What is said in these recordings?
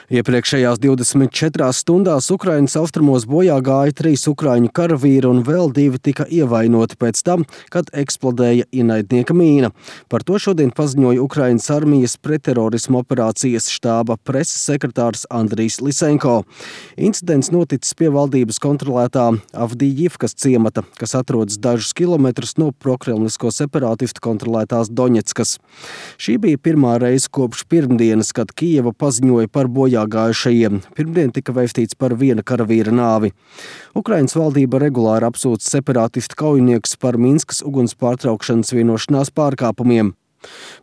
Iepriekšējās 24 stundās Ukrainas austrumos bojā gāja 3 ukraiņu karavīri un vēl 2 tika ievainoti pēc tam, kad eksplodēja ienaidnieka mīna. Par to šodien paziņoja Ukrainas armijas pretterorisma operācijas štāba preses sekretārs Andrijs Lisenko. Incidents noticis pie valdības kontrolētā Avdijivkas ciemata, kas atrodas dažus kilometrus no prokremlisko separātistu kontrolētās Doņetskas. Šī bija pirmā reize kopš pirmdienas, kad Kijeva paziņoja par bojāgājušajiem. Pirmdien tika vēstīts par viena karavīra nāvi. Ukrainas valdība regulāri apsūdz separātistu kaujiniekus par Minskas uguns pārtraukšanas vienošanās pārkāpumiem.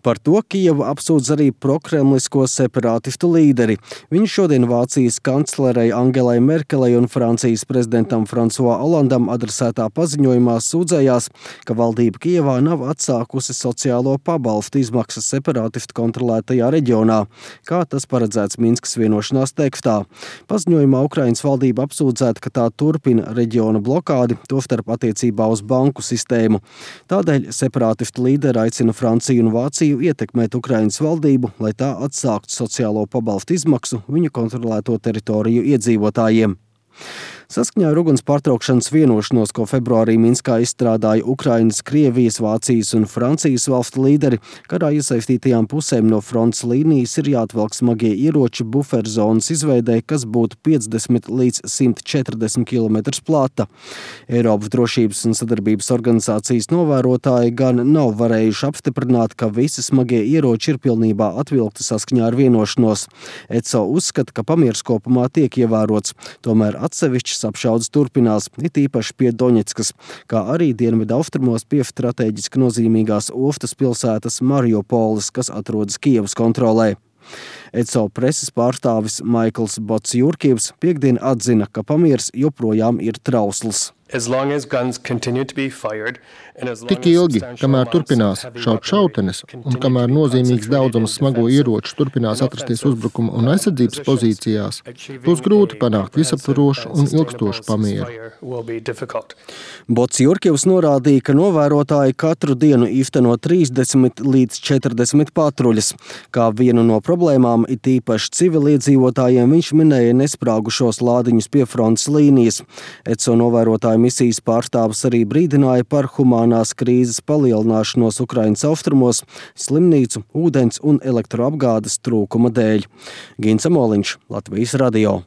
Par to Kijeva apsūdz arī prokremlisko separātistu līderi. Viņš šodien Vācijas kanclerei Angelai Merkelei un Francijas prezidentam François Hollandam adresētā paziņojumā sūdzējās, ka valdība Kijevā nav atsākusi sociālo pabalstu izmaksas separātistu kontrolētajā reģionā, kā tas paredzēts Minskas vienošanās tekstā. Paziņojumā Ukrainas valdība apsūdzēta, ka tā turpina reģiona blokādi, tostarp attiecībā uz banku sistēmu. Tādēļ separātistu līderi aicina Franciju un Vāciju ietekmēt Ukrainas valdību, lai tā atsāktu sociālo pabalstu izmaksu viņu kontrolēto teritoriju iedzīvotājiem. Saskaņā ar uguns pārtraukšanas vienošanos, ko februārī Minskā izstrādāja Ukrainas, Krievijas, Vācijas un Francijas valstu līderi, karā iesaistītajām pusēm no frontes līnijas ir jāatvelk smagie ieroči buferzonas izveidē, kas būtu 50 līdz 140 km plata. Eiropas drošības un sadarbības organizācijas novērotāji gan nav varējuši apstiprināt, ka visi smagie ieroči ir pilnībā atvilkti saskaņā ar vienošanos. ECO uzskata, ka pamieris kopumā tiek ievērots, tomēr atsevišķi apšaudes turpinās, it īpaši pie Doņetskas, kā arī dienvidu austrumos pie strateģiski nozīmīgās ostas pilsētas Mariupolis, kas atrodas Kijevas kontrolē. ECO preses pārstāvis Maikls Botsjurkivs piektdien atzina, ka pamieris joprojām ir trausls. Tik ilgi, kamēr turpinās šaut šautenes un kamēr nozīmīgs daudzums smago ieroču turpinās atrasties uzbrukuma un aizsardzības pozīcijās, būs grūti panākt visaptvarošu un ilgstošu pamieru. Botsjurkivs norādīja, ka novērotāji katru dienu īsteno 30 līdz 40 patruļas. Kā vienu no problēmām, it īpaši civiliedzīvotājiem, viņš minēja nesprāgušos lādiņus pie frontes līnijas. ECO novērotāji misijas pārstāvis arī brīdināja par humānās krīzes palielināšanos Ukrainas austrumos, slimnīcu, ūdens un elektroapgādes trūkuma dēļ. Gins Amoliņš, Latvijas radio.